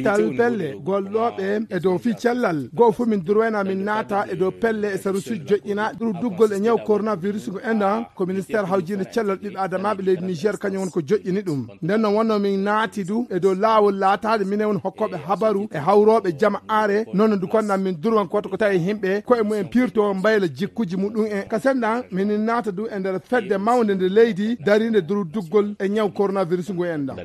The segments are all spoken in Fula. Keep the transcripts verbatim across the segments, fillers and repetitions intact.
Tal pelle gollooɓe e dow fii cellal goo fof min durwayna min naata e dow pelle e sarusuuji joƴƴina ɗuru duggol e ñaw coronavirus ngu enɗan ko ministeer hawjiinde cellal ɓiɓɓe adamaaɓe leydi niger kañum won ko joƴƴini ɗum. Nden noon wonno min naati du e dow laawol laataade minen woni hokkooɓe habaru e hawrooɓe jama aare noon ndu konɗan min durwan koto ko tawi himɓe koye mumen pirto mbayla jikkuji muɗum en ka senɗan minin naata du e nder fedde mawnde nde leydi dariinde duru duggol e ñaw coronavirus ngu enɗan.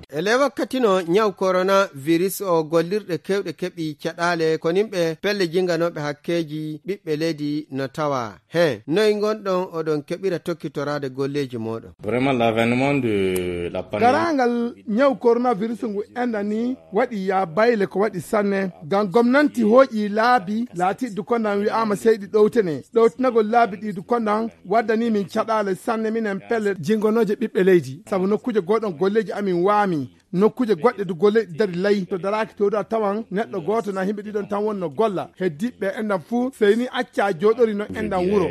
E ley wakkati no ñaw coronavirus o gollirɗe kewɗe keɓi caɗaale ko nimɓe pelle jinganooɓe hakkeeji ɓiɓɓe leydi no tawa. He noy ngonɗon oɗon keɓira tokkitoraade golleeji mooɗon? Vraiment l'avènement de la pandémie. Garangal ñaw coronavirus ngu enɗan ni waɗi ya bayle ko waɗi sanne ngam gomnanti hooƴi laabi laatiɗi konɗan wi'aama seyɗi ɗowtene ɗowtinagol laabi ɗi du konɗan waddani min caɗaale sanne minen pelle jingonooje ɓiɓɓe leydi sabu nokkuuje gooɗon golleeji amin waami. Nokkuuje goɗɗe du golle dari lay to daraaki to da tawan neɗɗo gooto na himɓe ɗiɗon tan wonno golla heddiɓɓe enɗan fuu sey ni acca jooɗori no enɗan wuro.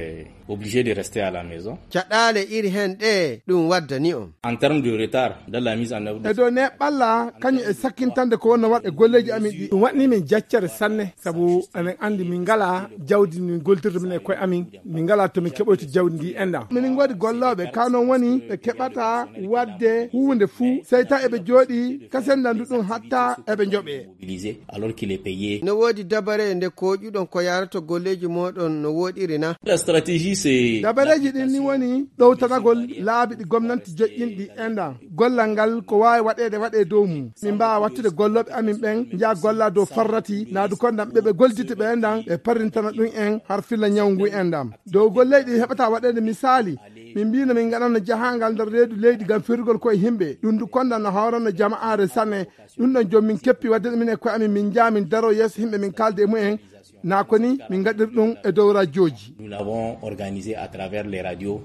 Obligé de rester à la maison. Caɗaale iri heen ɗe ɗum waddani on. En terme de retard dans la mise en œuvre de e dow ne ɓalla kañum e sakkintande ko wonno waɗ e golleeji amin ɗi ɗum waɗni min jaccere sanne sabu eɗen anndi min ngala jawdi min goltirde min e koye amin. Min ngala to min keɓoyta jawdi ndi enɗan minin ngoodi gollooɓe ka noon woni ɓe keɓata waɗde huunde fuu sey taw eɓe jooɗi kasendandu ɗum hatta eɓe njoɓee. Mobilisé alors qu'il est payé. No woodi dabare nde kooƴuɗon ko yaarato golleeji mooɗon no wooɗiri na? La stratégie c'est dabareeji ɗin ni woni ɗowtanagol laabi ɗi gomnanti joƴƴinɗi enɗan gollal ngal ko waawi waɗeede waɗee dow mum min mbaawa wattude gollooɓe amin ɓen njaha golla dow farrati naadu konɗan ɓe ɓe golditi ɓe enɗan ɓe parrintana ɗum en har filla ñaw ngu enɗan dow golleeji ɗi heɓata waɗeede misaali min mbino min ngaɗanno jahangal nder reedu leydi ngam firgol koye himɓe ɗum du konɗan no hawranno jama'aare sanne. Ɗum ɗon joom min keppi waɗde ɗum min e koye amin min njaha min daro yeeso himɓe min kaalda e mumen. Na ko ni min ngaɗir ɗum e dow rajooji. Nous l'avons organisé à travers les radios.